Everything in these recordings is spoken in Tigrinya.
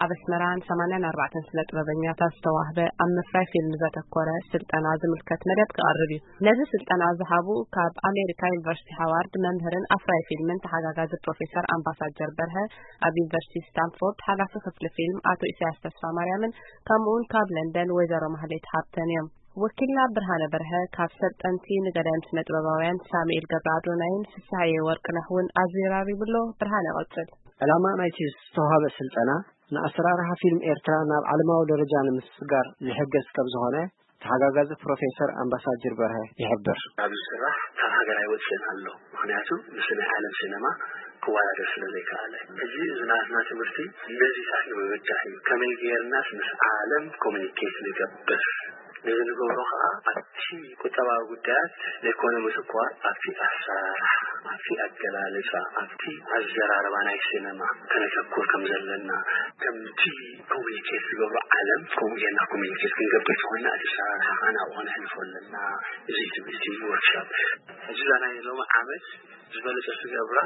ኣብ ኣስመራን ሰማንያን ኣርባዕተን ስነ ጥበበኛታት ዝተዋህበ ኣብ ምፍራይ ፊልም ዘተኮረ ስልጠና ዝምልከት መደብ ክቐርብ እዩ። ነዚ ስልጠና ዝሃቡ ካብ ኣሜሪካ ዩኒቨርሲቲ ሃዋርድ መምህርን ኣፍራይ ፊልምን ተሓጋጋዚ ፕሮፌሰር ኣምባሳጀር በርሀ፣ ኣብ ዩኒቨርሲቲ ስታንፎርድ ሓላፊ ክፍሊ ፊልም ኣቶ ኢሳያስ ተስፋ ማርያምን ከምኡውን ካብ ለንደን ወይዘሮ ማህሌት ሃብተን እዮም። ወኪልና ብርሃነ በርሀ ካብ ሰልጠንቲ ንገዳይም ስነ ጥበባውያን ሳሙኤል ገብረ ኣዶናይን ፍስሃየ ወርቅነህ እውን ኣዘራሪቡ ኣሎ። ብርሃነ፣ ቀጽል። ዕላማ ናይቲ ዝተዋህበ ስልጠና ንኣሰራርሓ ፊልም ኤርትራ ናብ ዓለማዊ ደረጃ ንምስግጋር ዝሕገዝ ከም ዝኾነ ተሓጋጋዚ ፕሮፌሰር ኣምባሳጀር በርሀ ይሕብር። ኣብዚ ስራሕ ካብ ሃገር ኣይወፅእን ኣሎ። ምኽንያቱ ምስ ናይ ዓለም ሲነማ ክወዳደር ስለ ዘይከኣለ፣ ሕጂ እዚ ናትና ትምህርቲ ነዚታት ንምብዳህ እዩ። ከመይ ጌርናስ ምስ ዓለም ኮሚኒኬት ንገብር? ነዚ ንገብሮ ኸዓ ኣብቲ ቁጠባዊ ጉዳያት ዘይኮነ ምትኳር፣ ኣብቲ ኣሰራርሓ፣ ኣብቲ ኣገላልጻ፣ ኣብቲ ኣዘራርባ ናይ ሲነማ ከነተኩር ከም ዘለና፣ ከምቲ ኮሚኒኬት ዝገብሮ ዓለም ከምኡ ጌርና ኮሚኒኬት ክንገብር ተኾይና፣ እቲ ኣሰራርሓ ኸዓ ናብኡ ከነሕልፎ ኣለና። እዚ ትምህርቲ ወርክሾፕ፣ ሕጂ እዛ ናይ ሎሚ ዓመት ዝበለጸ ዝገብራ፣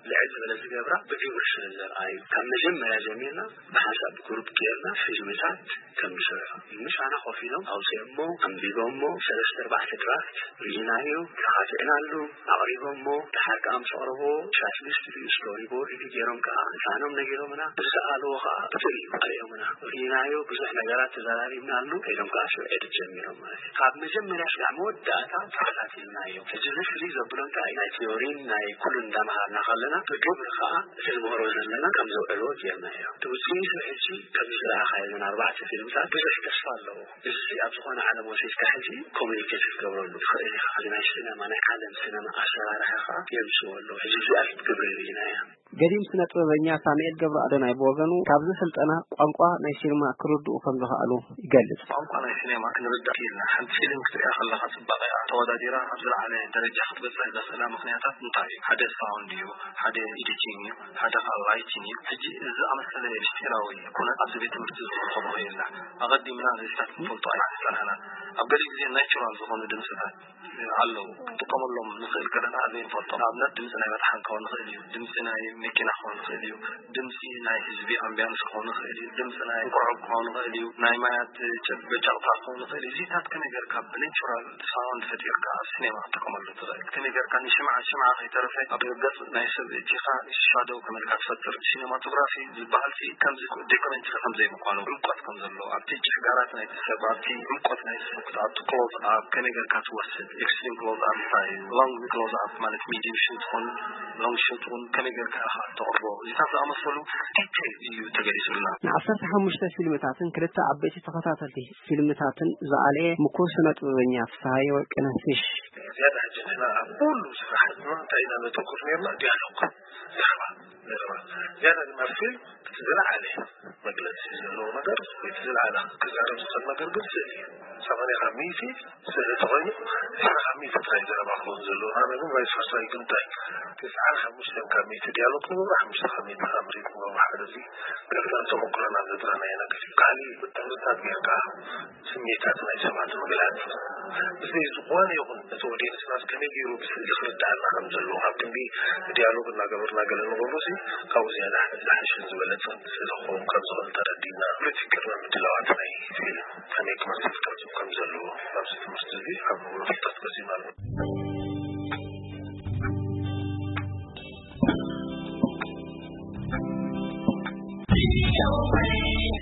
ልዕል ዝበለ ዝገብራ ብግብሪ ስለ ዘርኣዩ፣ ካብ መጀመርያ ጀሚርና ብሓንሳብ ግሩፕ ጌርና ፊልምታት ከም ዝሰርሑ፣ ምሳና ኮፍ ኢሎም ኣውፂኦሞ፣ ኣንቢቦሞ፣ ሰለስተ ኣርባዕተ ድራፍት ርኢናዮ፣ ተኻቲዕናሉ፣ ኣቕሪቦሞ፣ ደሓር ከኣ ምስ ኣቕረቦ፣ ትራክሊስት ድዩ፣ ስቶሪ ቦርድ ድዩ ገይሮም ከኣ ህፃኖም ነጊሮምና፣ ብዝሰኣልዎ ከኣ ብፍሉይ ኣርእዮምና። ርኢናዮ፣ ብዙሕ ነገራት ተዘራሪብናሉ፣ ከይዶም ከኣ ሽዑ ኤዲት ጀሚሮም ማለት እዩ። ካብ መጀመርያ ስጋዕ መወዳእታ ተኸታቲልናዮ። ሕጂ እዚ ፍልይ ዘብሎ እንታይ ናይ ቲዮሪን ናይ ኩሉን እንዳመሃርና ከለና፣ ብግብሪ ከኣ እቲ ንምህሮ ዘለና ከም ዘውዕልዎ ጌርናዮ። እቲ ውፅኢቱ ሕጂ ከምዚ ዝረኣኻዮ እዘን ኣርባዕተ ፊልምታት ብዙሕ ተስፋ ኣለዎ። እዚ ኣብ ዝኾነ ዓለም ወሲድካ ሕጂ ኮሚኒኬት ክትገብረሉ ትኽእል ኢኻ። እዚ ናይ ሲነማ፣ ናይ ዓለም ሲነማ ኣሰራርሓ ከኣ የምፅዎ ኣለዉ። ሕጂ እዚኣ ግብሪ ርኢናያ። ገዲም ስነ ጥበበኛ ሳሙኤል ገብረ ኣዶናይ ብወገኑ፣ ካብዚ ስልጠና ቋንቋ ናይ ሲኒማ ክርድኡ ከም ዝኸኣሉ ይገልጽ። ቋንቋ ናይ ሲኔማ ክንርዳእ ኢልና፣ ሓንቲ ፊልም ክትሪኣ ከለኻ ጽባቐኣ ተወዳዲራ ኣብ ዝለዓለ ደረጃ ክትበጽሕ ዘኽእላ ምኽንያታት እንታይ እዩ? ሓደ ሳውንድ እዩ፣ ሓደ ኤዲቲንግ እዩ፣ ሓደ ኻል ላይቲንግ እዩ። ሕጂ እዚ ዝኣመሰለ ምስጢራዊ ኩነት ኣብዚ ቤት ትምህርቲ እዚ ክንረኽቦ ኽኢልና። ኣቐዲምና ነዚታት ክንፈልጦ ኣይተጸናሕናን። ኣብ ገሊኡ ግዜ ናቹራል ዝኾኑ ድምጽታት ኣለዉ። ክንጥቀመሎም ንኽእል ከለና ዘይንፈልጦም። ንኣብነት ድምጺ ናይ መጥሓን ክኸውን ይኽእል እዩ፣ ድምጺ ናይ መኪና ክኸውን ይኽእል እዩ፣ ድምጺ ናይ ህዝቢ ኣምቢያንስ ክኸውን ይኽእል እዩ፣ ድምጺ ናይ እንቋቑሖ ክኸውን ይኽእል እዩ፣ ናይ ማያት ጨ-፣ በጫቕታ ክኸውን ይኽእል እዩ። እዚታት ከመይ ጌርካ ብናቹራል ሳውንድ ፈጢርካ ኣብ ሲኔማ ክትጥቀመሉ ትኽእል? ከመይ ጌርካ ንሽምዓ፣ ሽምዓ ከይተረፈ ኣብ ገጽ ናይ ሰብ እቲኻ ሻዶው ከመይ ኢልካ ትፈጥር? ሲኔማቶግራፊ ዝበሃል ሲ ከምዚ ዶክመንተሪ ከም ዘይምዃኑ፣ ዕምቆት ከም ዘለዎ፣ ኣብቲ ጭፍጋራት ናይቲ ሰብ፣ ኣብቲ ዕምቆት ናይቲ ሰብ፣ ኣብቲ ክሎዝ ኣፕ ከመይ ጌርካ ትወስድ፣ ኤክስትሪም ክሎዝ ኣፕ እንታይ እዩ፣ ሎንግ ክሎዝ ኣፕ ማለት ሚድዩም ሹት ኹን ሎንግ ሹት ኹን ከመይ ጌርካ ኢኻ ተቕርቦ፣ እዚታት ዝኣመሰሉ ዲቴይል እዩ ተገሊጹልና። ንዓሰርተ ሓሙሽተ ፊልምታትን ክልተ ዓበይቲ ተኸታተልቲ ፊልምታትን ዝኣለየ ምኩር ስነ ጥበበኛ ፍስሃየ ወርቅነህ ፊሽ፣ ዝያዳ ሕጂ ንሕና ኣብ ኩሉ ስራሕ ህዝብና እንታይ ኢና ነተኩር ነርና? ዲያሎግ፣ ዘረባ፣ ዘረባ። ዝያዳ ድማ ፊልም እቲ ዝለዓለ መግለጺ ዘለዎ ነገር ወይ እቲ ዝለዓለ ክዛረብ ዝኽእል ነገር ግን ስእሊ እዩ። ሰማንያ ካብ ሚእቲ ስእሊ ተኾይኑ፣ ዕስራ ካብ ሚእቲ ጥራይ ዘረባ ክኸውን ዘለዎ። ኣነ ግን ቫይስ ቨርሳ እዩ። ግን እንታይ፣ ተስዓን ሓሙሽተን ካብ ሚእቲ ዲያሎግ ንገብሮ፣ ሓሙሽተ ካብ ሚእቲ ካብ ሪትም ንገብሮ። ሓደ እዚ ገለገለ ተመኩሮና ዘጥረናዮ ነገር እዩ። ካሊእ ብትምህርታት ጌርካ ስሜታት ናይ ሰባት ምግላጽ፣ ብዘይ ዝኾነ ይኹን እቲ ኦዲየንስና ከመይ ገይሩ ብስእሊ ክርድኣና ከም ዘለዎ፣ ካብ ክንዲ ዲያሎግ እናገበርና ገለ ንገብሮ ሲ፣ ካብኡ ዝያዳ ዝሓሸን ዝበለጸን ስእሊ ክኸውን ከም ዝኽእል ተረዲእና፣ ፖለቲካዊ ምድላዋት ናይ ፊልም ከመይ ክመስል ቅርጹ ከም ዘለዎ ኣብዚ ትምህርቲ እዚ ኣብ ንብሎ ፍልጠት ቀሲምና ኣለና።